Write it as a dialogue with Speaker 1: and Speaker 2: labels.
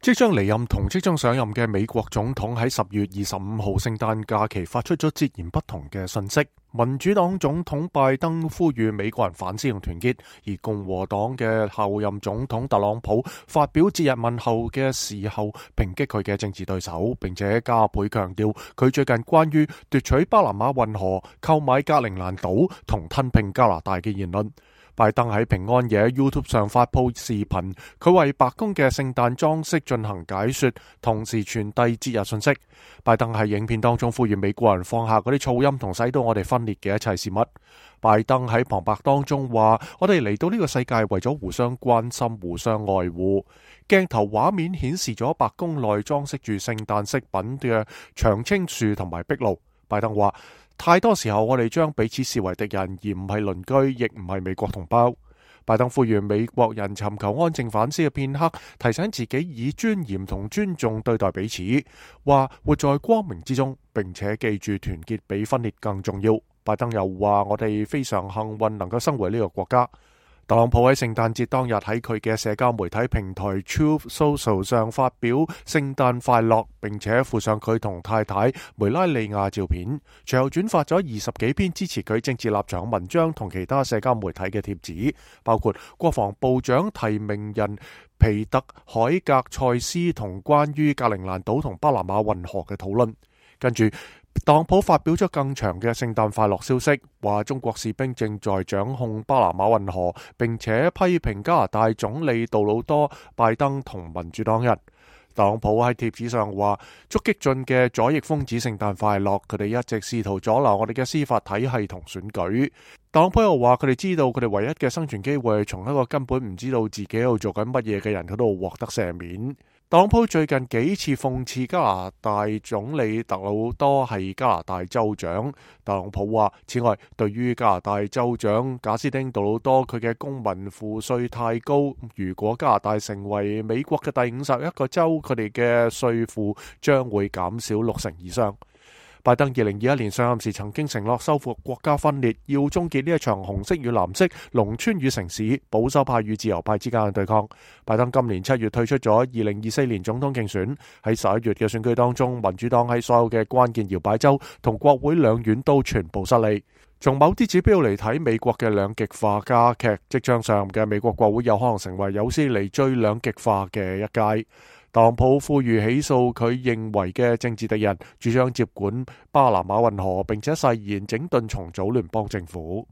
Speaker 1: 即將離任同即將上任嘅美國總統喺10月25號聖誕假期發出咗截然不同嘅信息。民主黨總統拜登呼籲美國人反思同團結，而共和黨嘅後任總統特朗普發表節日問候嘅時候，抨擊佢嘅政治對手，並且加倍強調佢最近關於奪取巴拿馬運河、購買格陵蘭島同吞併加拿大嘅言論。拜登喺平安夜 YouTube 上發佈視頻，佢為白宮嘅聖誕裝飾進行解說，同時傳遞節日信息。拜登喺影片當中呼籲美國人放下嗰啲噪音同使到我哋分裂嘅一切事物。拜登喺旁白當中話：我哋嚟到呢個世界為咗互相關心、互相愛護。鏡頭畫面顯示咗白宮內裝飾住聖誕飾品嘅長青樹同埋壁爐。拜登話：太多時候我哋將彼此視為敵人，而唔係鄰居，亦唔係美國同胞。拜登呼籲美國人尋求安靜反思嘅片刻，提醒自己以尊嚴同尊重對待彼此，話活在光明之中，並且記住團結比分裂更重要。拜登又話：我哋非常幸運能夠生活喺呢個國家。特朗普喺聖誕節當日喺佢嘅社交媒體平台 Truth Social 上發表聖誕快樂，並且附上佢同太太梅拉利亞照片，隨後轉發咗20幾篇支持佢政治立場文章同其他社交媒體嘅貼紙，包括國防部長提名人皮特海格塞斯同關於格陵蘭島同巴拿馬運河嘅討論。跟住特朗普發表咗更長嘅聖誕快樂消息，話中國士兵正在掌控巴拿馬運河，並且批評加拿大總理杜魯多、拜登同民主黨人。特朗普喺貼紙上話：祝激進嘅左翼瘋子聖誕快樂，佢哋一直試圖阻撓我哋嘅司法體系同選舉。特朗普又話：佢哋知道佢哋唯一嘅生存機會係從一個根本唔知道自己喺度做緊乜嘢嘅人嗰度獲得赦免。特朗普最近幾次諷刺加拿大總理特魯多係加拿大州長。特朗普話：此外，對於加拿大州長賈斯汀杜魯多，佢嘅公民賦稅太高，如果加拿大成為美國嘅第51個州，佢哋嘅稅負將會減少60%以上。拜登2021年上任時曾經承諾收復國家分裂，要終結呢一場紅色與藍色、農村與城市、保守派與自由派之間嘅對抗。拜登今年7月退出咗2024年總統競選，喺11月嘅選舉當中，民主黨喺所有嘅關鍵搖擺州同國會兩院都全部失利。從某啲指標嚟睇，美國嘅兩極化加劇，即將上任嘅美國國會有可能成為有史以嚟最兩極化嘅一屆。特朗普呼籲起訴佢認為嘅政治敵人，主張接管巴拿馬運河，並且誓言整頓重組聯邦政府。